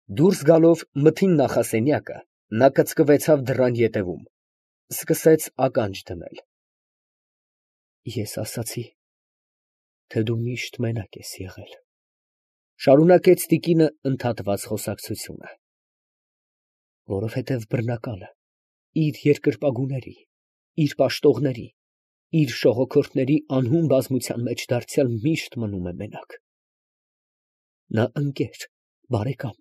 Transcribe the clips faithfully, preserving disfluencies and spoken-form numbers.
Դուրս գալով մթին նախասենյակը, նա կծկվեցավ դռան ետևում, սկսեց ականջ դնել։ Ես ասացի, թե դու միշտ մենակ ես եղել, շարունակեց տիկինը ընդհատված խոսակցությունը, որովհետև բռնակալը իր երկրպագուների, իր պաշտողների, իր շողոքորթների անհուն բազմության մեջ դարձյալ միշտ մնում է մենակ։ Նա ընկեր, բարեկամ,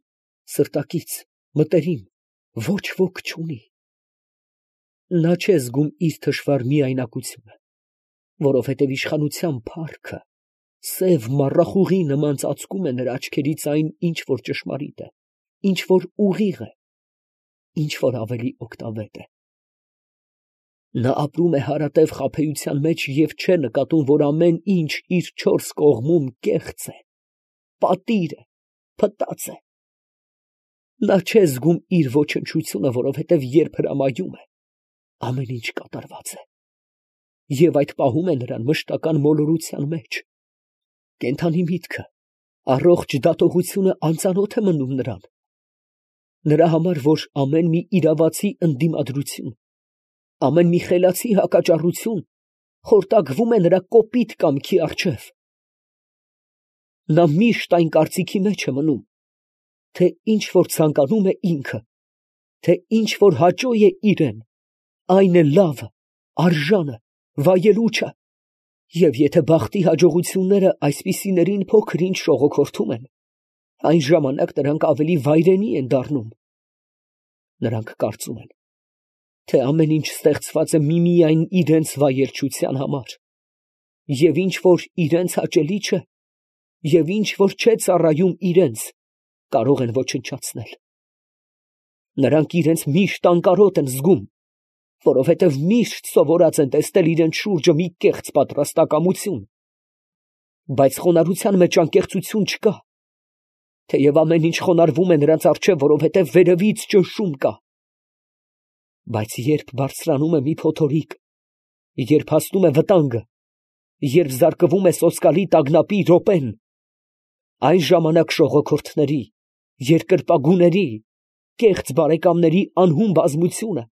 սրտակից, մտերիմ, ոչ ոք չունի։ Նա չէ զգում իր թշվառ միայնակությունը, որովհետև իշխանության փառքը սև մառախուղի նման ծածկում է նրա աչքերից այն, ինչ որ ճշմարիտ է, ինչ որ ուղիղ է, ինչ որ ավելի օգտավետ է։ Նա ապրում է հարատև խաբեության մեջ և չէ նկատում, որ ամեն ինչ իր չորս կողմում կեղծ է, պատիր է, փտած է։ Նա չէ զգում իր ոչնչությունը, որովհետև երբ հրամայում է, ամեն ինչ կատարված է, և այդ պահում է նրան մշտական մոլորության մեջ։ Կենդանի միտքը, առողջ դատողությունը անծանոթ է մնում նրան։ Նրա համար, որ ամեն մի իրավացի ընդդիմադրություն, ամեն մի խելացի հակաճառություն խորտակվում է նրա կոպիտ կամքի առջև։ Նա միշտ այն կարծիքի մեջ է մնում, թե ինչ որ ցանկանում է ինքը, թե ինչ որ հաճո է իրեն, այն է լավը, արժանը, վայելուչը, և եթե բախտի հաջողությունները այսպիսիներին փոքր ինչ շողոքորթում են, այն ժամանակ նրանք ավելի վայրենի են դառնում։ Նրանք կարծում են, թե ամեն ինչ ստեղծված է միմիայն իրենց վայելչության համար, և ինչ որ իրենց հաճելի չէ, և ինչ որ չէ ծառայում իրենց, կարող են ոչնչացնել։ Նրանք իրենց միշտ անկարոտ են զգում, որովհետև միշտ սովորած են տեսնել իրենց շուրջը մի կեղծ պատրաստակամություն, բայց խոնարհության մեջ անկեղծություն չկա, թեև ամեն ինչ խոնարհվում է նրանց առջև, որովհետև վերևից ճնշում կա։ Բայց երբ բարձրանում է մի փոթորիկ, երբ հասնում է վտանգը, երբ զարկվում է սոսկալի տագնապի րոպեն, այն ժամանակ շողոքորթների, երկրպագուների, կեղծ բարեկամների անհուն բազմությունը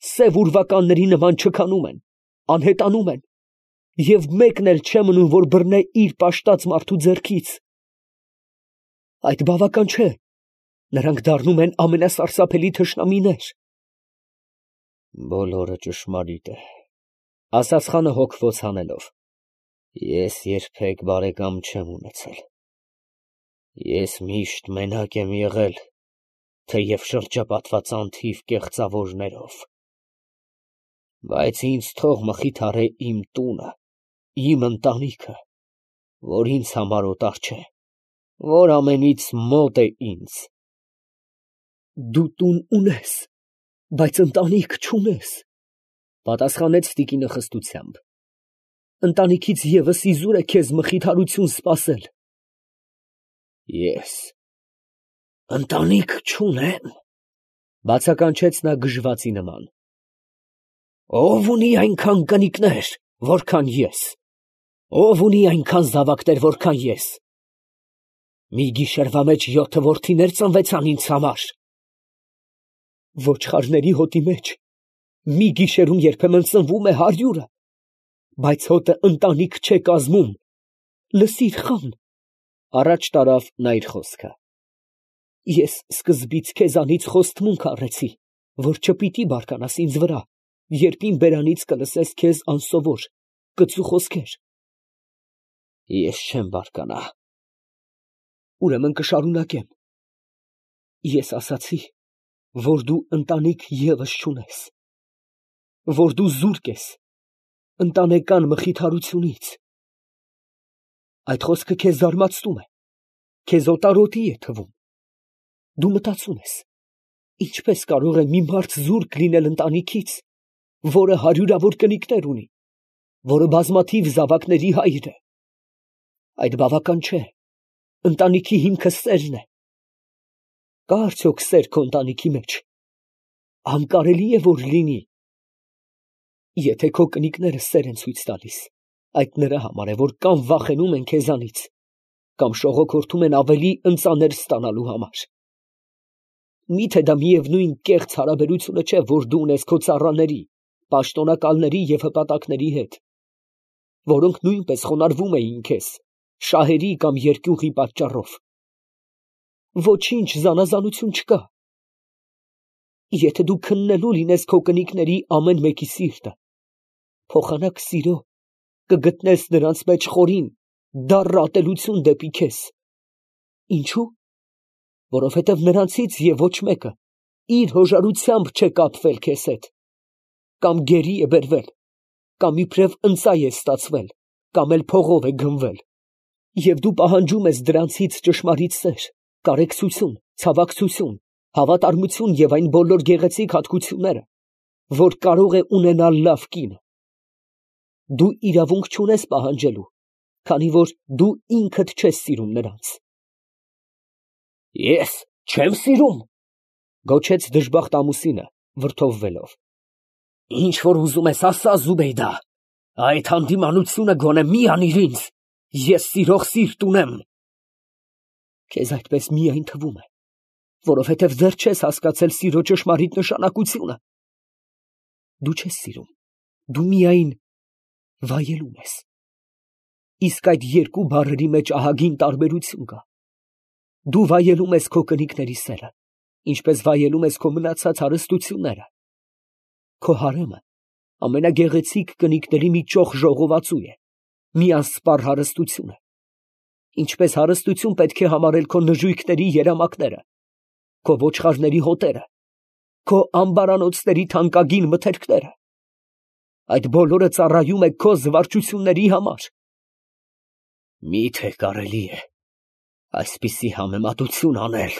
սև ուրվականների նման չքանում են, անհետանում են, և մեկն էլ չէ մնում, որ բռնե իր պաշտած մարդու ձեռքից։ Այդ բավական չէ, նրանք դառնում են ամենասարսափելի թշնամիներ։ Բոլորը ճշմարիտ է, ասաց խանը հոգվոց հանելով։ Ես երբեք բարեկամ չեմ ունեցել։ Ես միշտ մենակ եմ եղել, թեև շրջապատված անթիվ կեղծավորներով։ Բայց ինձ թող մխիթարե իմ տունը, իմ ընտանիքը, որ ինձ համար օտար չէ, որ ամենից մոտ է ինձ։ Դու տուն ունես, բայց ընտանիք չունես, պատասխանեց տիկինը խստությամբ։ Ընտանիքից ևս իզուր է քեզ մխիթարություն սպասել։ Ես ընտանիք չունեմ, բացականչեց նա գժվացի նման։ Ո՞վ ունի այնքան կնիկներ, որքան ես, ո՞վ ունի այնքան զավակներ, որքան ես։ Մի գիշերվա մեջ յոթը որդիներ ծնվեցան ինձ համար։ Ոչխարների հոտի մեջ մի գիշերում երբեմն ծնվում է հարյուրը, բայց հոտը ընտանիք չէ կազմում։ Լսիր, խան, առաջ տարավ նա իր խոսքը։ Ես սկզբից քեզանից խոստմունք առեցի, որ չպիտի բարկանաս ինձ վրա, երբ իմ բերանից կլսես քեզ անսովոր, կծու խոսքեր։ Ես չեմ բարկանա։ Ուրեմն կշարունակեմ։ Ես ասացի, որ դու ընտանիք ևս չունես, որ դու զուրկ ես ընտանեկան մխիթարությունից։ Այդ խոսքը քեզ զարմացնում է, քեզ օտարոտի է թվում։ Դու մտածում ես, ինչպես կարող է մի մարդ զուրկ լինել ընտանիքից, որը հարյուրավոր կնիկներ ունի, որը բազմաթիվ զավակների հայր է։ Այդ բավական չէ, ընտանիքի հիմքը սերն է։ Կա արդյոք սեր քո ընտանիքի մեջ։ Անկարելի է, որ լինի։ Եթե քո կնիկները սեր են ցույց տալիս, այդ նրա համար է, որ կամ վախենում են քեզանից, կամ շողոքորթում են ավելի ընծաներ ստանալու համար։ Միթե դա միևնույն կեղծ հարաբերությունը չէ, որ դու ունես քո ծառաների, պաշտոնակալների և հպատակների հետ, որոնք նույնպես խոնարհվում էին քեզ, շահերի կամ երկյուղի պատճառով։ Ոչինչ զանազանություն չկա։ Եթե դու քննելու լինես քո կնիկների ամեն մեկի սիրտը, փոխանակ սիրո, կգտնես նրանց մեջ խորին, դառն ատելություն դեպի քեզ։ Ինչո՞ւ։ Որովհետև նրանցից և ոչ մեկը իր հոժարությամբ չէ կապվել քեզ հետ, կամ գերի է բերվել, կամ իբրև ընծայ է ստացվել, կամ էլ փողով է գնվել, և դու պահանջում ես դրանցից ճշմարիտ սեր, կարեկցություն, ցավակցություն, հավատարմություն և այն բոլոր գեղեցիկ հատկությունները, որ կարող է ունենալ լավ կին։ Դու իրավունք չունես պահանջելու, քանի որ դու ինքդ չես սիրում նրանց։ Ես չեմ սիրում, գոչեց դժբախտ ամուսինը, վրդովվելով։ Ինչ որ ուզում ես ասա, Զուբեյդա, այդ հանդիմանությունը գոնե մի անիր ինձ, ես սիրող սիրտ ունեմ։ Քեզ այդպես միայն թվում է, որովհետև դեռ չես հասկացել սիրո ճշմարիտ նշանակությունը։ Դու չես սիրում, դու միայն վայելում ես։ Իսկ այդ երկու բառերի մեջ ահագին տարբերություն կա։ Դու վայելում ես քո կնիկների սերը, ինչպես վայելում ես քո մնացած հարստությունները։ Քո հարեմը ամենագեղեցիկ կնիկների մի ճոխ ժողովածու է, մի անսպառ հարստություն է, ինչպես հարստություն պետք է համարել քո նժույգների երամակները, քո ոչխարների հոտերը, քո ամբարանոցների թանկագին մթերքները։ Այդ բոլորը ծառայում է քո զվարճությունների համար։ Մի՞թե կարելի է այսպիսի համեմատություն անել,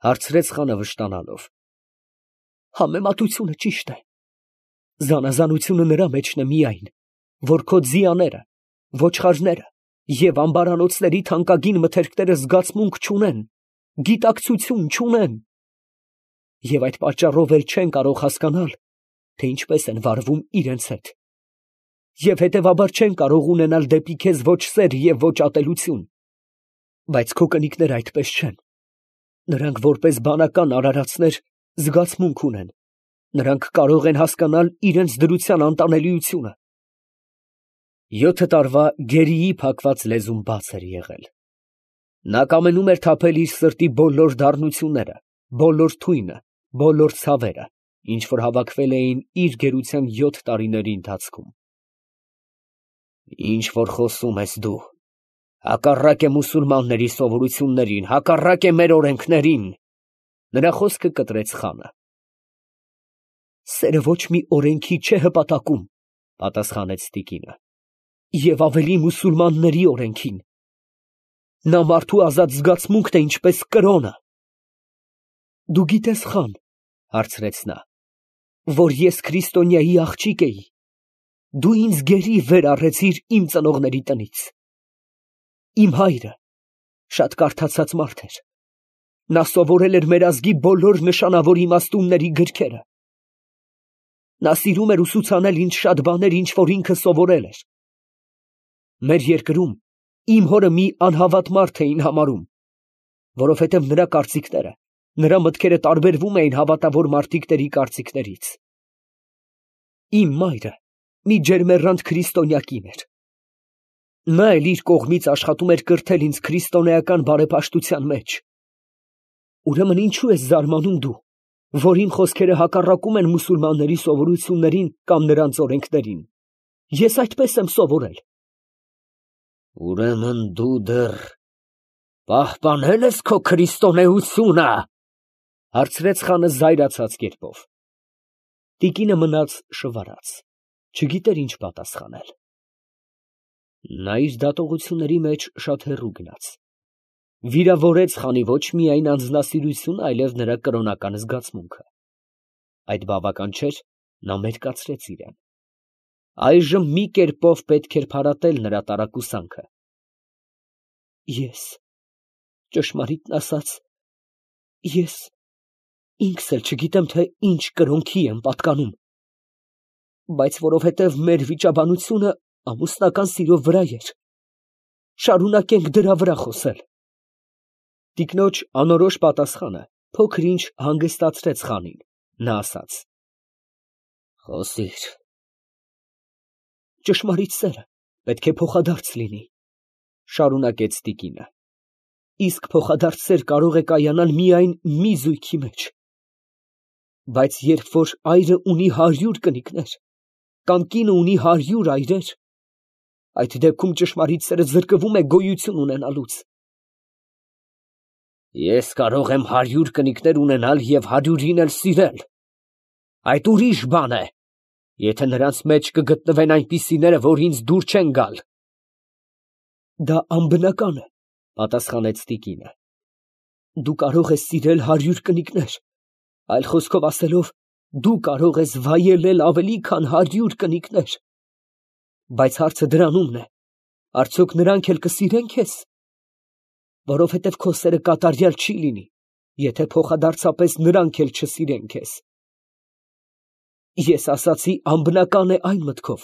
հարցրեց խանը վշտանալով։ Համեմատությունը ճիշտ է, զանազանությունը նրա մեջն է միայն, որ քո ձիաները, ոչխարները և ամբարանոցների թանկագին մթերքները զգացմունք չունեն, գիտակցություն չունեն, և այդ պատճառով էլ չեն կարող հասկանալ, թե ինչպես են վարվում իրենց հետ, և հետևաբար չեն կարող ունենալ դեպի քեզ ոչ սեր և ոչ ատելություն։ Բայց քո կնիկները այդպես չեն. նրանք որպես բանական արարածներ զգացմունք ունեն, նրանք կարող են հասկանալ իրենց դրության անտանելիությունը։ Յոթը տարվա գերիի փակված լեզուն բաց էր եղել։ Նա կամենում էր թափել իր սրտի բոլոր դառնությունները, բոլոր թույնը, բոլոր ցավերը, ինչ որ հավաքվել էին իր գերության յոթ տարիների ընթացքում։ Ինչ որ խոսում ես դու, հակառակ է մուսուլմանների սովորություններին, հակառակ է մեր օրենքներին, նրա խոսքը կտրեց խանը։ Սերը ոչ մի օրենքի չէ հպատակում, պատասխանեց տիկինը, և ավելի մուսուլմանների օրենքին։ Նա մարդու ազատ զգացմունքն է, ինչպես կրոնը։ Դու գիտես, խան, հարցրեց նա, որ ես քրիստոնյայի աղջիկ էի, դու ինձ գերի վեր առեցիր իմ ծնողների տնից։ Իմ հայրը շատ կարդացած մարդ էր, նա սովորել էր մեր ազգի բոլոր նշանավոր իմաստունների գրքերը։ Նա սիրում էր ուսուցանել ինձ շատ բաներ, ինչ որ ինքը սովորել էր։ Մեր երկրում իմ հորը մի անհավատ մարդ էին համարում, որովհետև նրա կարծիքները, նրա մտքերը տարբերվում էին հավատավոր մարդիկների կարծիքներից։ Իմ մայրը մի ջերմեռանդ քրիստոնյա կին էր։ Նա էլ իր կողմից աշխատում էր կրթել ինձ քրիստոնեական բարեպաշտության մեջ։ Ուրեմն ինչու ես զարմանում դու, որ իմ խոսքերը հակառակում են մուսուլմանների սովորություններին կամ նրանց օրենքներին։ Ես այդպես եմ սովորել։ Ուրեմն դու դեռ պահպանել ես քո քրիստոնեությունը, հարցրեց խանը զայրացած կերպով։ Տիկինը մնաց շվարած, չգիտեր ինչ պատասխանել։ Նա իր դատողությունների մեջ շատ հեռու գնաց, վիրավորեց խանի ոչ միայն անձնասիրությունը, այլև նրա կրոնական զգացմունքը։ Այդ բավական չէր, նա մերկացրեց իրան։ Այժմ մի կերպով պետք էր փարատել նրա տարակուսանքը։ Ես, ճշմարիտն ասած, ես ինքս էլ չգիտեմ, թե ինչ կրոնքի եմ պատկանում, բայց որովհետև մեր վիճաբանությունը ամուսնական սիրո վրա էր, շարունակենք դրա վրա խոսել։ Տիկնոջ անորոշ պատասխանը Փոքր ինչ հանգստացրեց խանին, նա ասաց. Խոսիր։ Ճշմարիտ սերը պետք է փոխադարձ լինի, շարունակեց տիկինը, իսկ փոխադարձ սեր կարող է կայանալ միայն մի զույգի մեջ, բայց երբ որ այրը ունի հարյուր կնիկներ, կամ կինը ունի հարյուր այրեր, այդ դեպքում ճշմարիտ սերը զրկվում է գոյություն ունենալուց։ Ես կարող եմ հարյուր կնիկներ ունենալ և հարյուրին էլ սիրել, այդ ուրիշ բան է, եթե նրանց մեջ կգտնվեն այնպիսիները, որ ինձ դուր չեն գալ։ Դա անբնական է, պատասխանեց տիկինը, դու կարող ես սիրել հարյուր կնիկներ, այլ խոսքով ասելով, դու կարող ես վայելել ավելի քան հարյուր կնիկներ, բայց հարցը դրանումն է, արդյոք նրանք էլ կսիրեն քեզ, որովհետև քո սերը կատարյալ չի լինի, եթե փոխադարձապես նրանք էլ չսիրեն քեզ։ Ես ասացի անբնական է այն մտքով,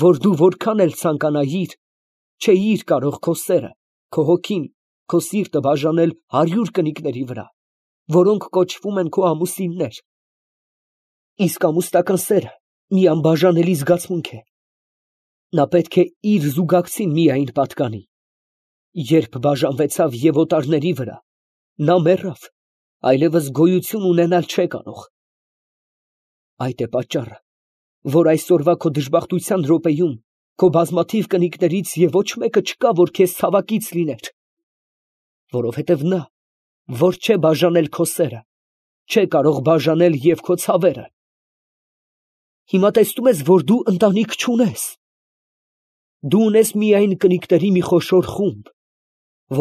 որ դու որքան էլ ցանկանայիր, չէիր կարող քո սերը, քո հոգին, քո սիրտը բաժանել հարյուր կնիկների վրա, որոնք կոչվում են քո ամուսիններ։ Իսկ ամուսնական սերը մի անբաժանելի զգացմունք է։ Նա պետք է իր զուգակցին միայն պատկանի։ Երբ բաժանվեցավ և օտարների վրա, նա մեռավ, այլևս գոյություն ունենալ չէ կարող։ Այդ է պատճառը, որ այսօրվա քո դժբախտության րոպեում քո բազմաթիվ կնիկներից և ոչ մեկը չկա, որ քեզ ցավակից լիներ, որովհետև նա, որ չէ բաժանել քո սերը, չէ կարող բաժանել և քո ցավերը։ Հիմա տեսնում ես, որ դու ընտանիք չունես։ Դու ունես միայն կնիկների մի խոշոր խումբ,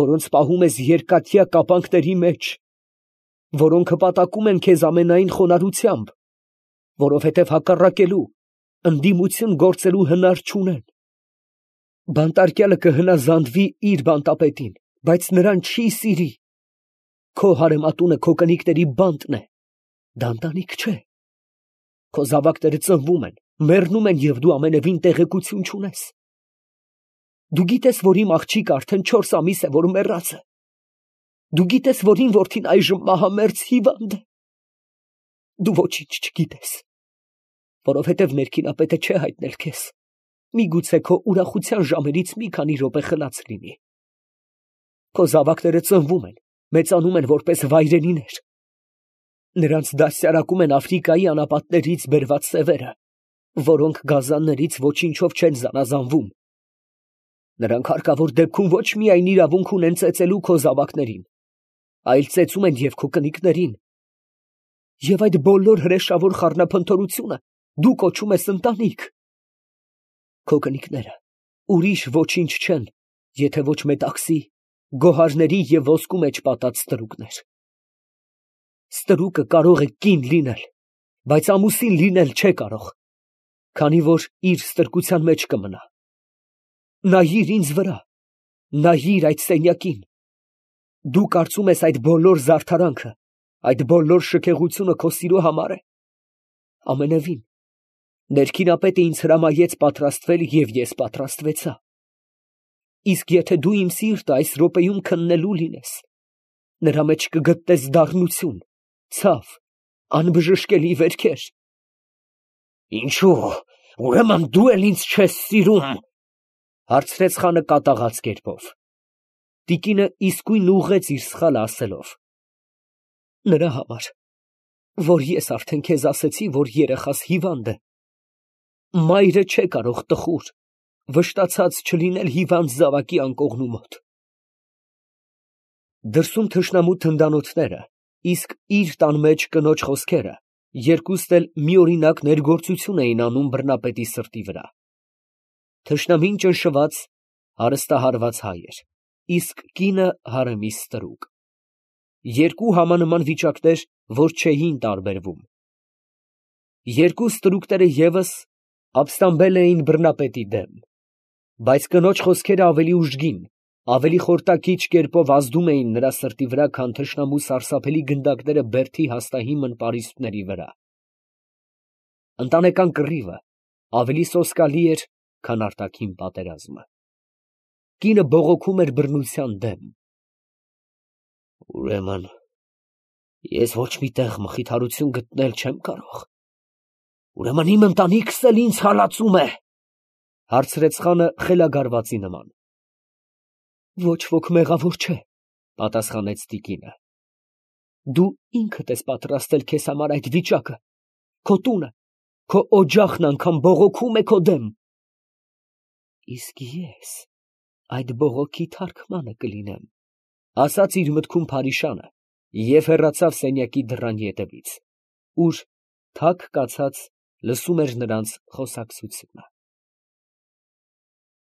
որոնց պահում ես երկաթյա կապանքների մեջ, որոնք հպատակում են քեզ ամենայն խոնարհությամբ, որովհետև հակառակելու, ընդդիմություն գործելու հնար չունեն։ Բանտարկյալը կհնազանդվի իր բանտապետին, բայց նրան չի սիրի։ Քո հարեմատունը քո կնիկների բանտն է, դա ընտանիք չէ։ Քո զավակները ծնվում են, մեռնում են և դու ամենևին տեղեկություն չունես։ Դու գիտես, որ իմ աղջիկը արդեն չորս ամիս է, որ մեռած է։ Դու գիտես, որ իմ որդին այժմ մահամերձ հիվանդ է։ Դու ոչինչ չգիտես, որովհետև ներքինապետը չէ հայտնել քեզ, միգուցե քո ուրախության ժամերից մի քանի րոպե խլած լինի։ Քո զավակները ծնվում են, մեծանում են որպես վայրենիներ։ Նրանց դաստիարակում են Աֆրիկայի անապատներից բերված սևերը, որոնք գազաններից ոչինչով չեն զանազանվում։ Նրանք հարկավոր դեպքում ոչ միայն իրավունք ունեն ծեծելու քո զավակներին, այլ ծեծում են և քո կնիկներին։ Եվ այդ բոլոր հրեշավոր խառնափնթորությունը դու կոչում ես ընտանիք։ Քո կնիկները ուրիշ ոչինչ չեն, եթե ոչ մետաքսի, գոհարների և ոսկու մեջ պատած ստրուկներ։ Ստրուկը կարող է կին լինել, բայց ամուսին լինել չէ կարող, քանի որ իր ստրկության մեջ կմնա։ Նայիր ինձ վրա, նայիր այդ սենյակին։ Դու կարծում ես այդ բոլոր զարդարանքը, այդ բոլոր շքեղությունը քո սիրո համար է։ Ամենևին, ներքինապետը ինձ հրամայեց պատրաստվել և ես պատրաստվեցա։ Իսկ եթե դու իմ սիրտը այս րոպեում քննելու լինես, նրա մեջ կգտնես դառնություն, ցավ, անբժշկելի վերքեր։ Ինչո՞ւ, ուրեմն դու էլ ինձ չես սիրում, հարցրեց խանը կատաղած կերպով։ Տիկինը իսկույն ուղղեց իր սխալը ասելով. Նրա համար, որ ես արդեն քեզ ասեցի, որ երեխաս հիվանդ է։ Մայրը չէ կարող տխուր, վշտացած չլինել հիվանդ զավակի անկողնու մոտ։ Դրսում թշնամու թնդանոթները, իսկ իր տան մեջ կնոջ խոսքերը, երկուստ էլ միօրինակ ներգործություն էին անում բռնապետի սրտի վրա։ Թշնամին ճնշված, հարստահարված հայ էր, իսկ կինը հարեմի ստրուկ։ Երկու համանման վիճակներ, որ չէին տարբերվում։ Երկու ստրուկները ևս ապստամբել էին բռնապետի դեմ, բայց կնոջ խոսքերը ավելի ուժգին, ավելի խորտակիչ կերպով ազդում էին նրա սրտի վրա, քան թշնամու սարսափելի գնդակները բերդի հաստահիմն պարիսպների վրա։ Ընտանեկան կռիվը ավելի սոսկալի էր, քան արտաքին պատերազմը։ Կինը բողոքում էր բռնության դեմ։ Ուրեմն, Ես ոչ մի տեղ մխիթարություն գտնել չեմ կարող։ Ուրեմն իմ ընտանիքս էլ ինձ հալածում է, հարցրեց խանը խելագարվածի նման։ Ոչ ոք մեղավոր չէ, պատասխանեց տիկինը։ Դու ինքդ ես պատրաստել քեզ համար այդ վիճակը, քո տունը, քո օջախն անգամ բողոքում է քո դեմ։ Իսկ ես այդ բողոքի թարգմանը կլինեմ, ասաց իր մտքում Փարիշանը և հեռացավ սենյակի դռան ետևից, ուր թակ կացած լսում էր նրանց խոսակցությունը։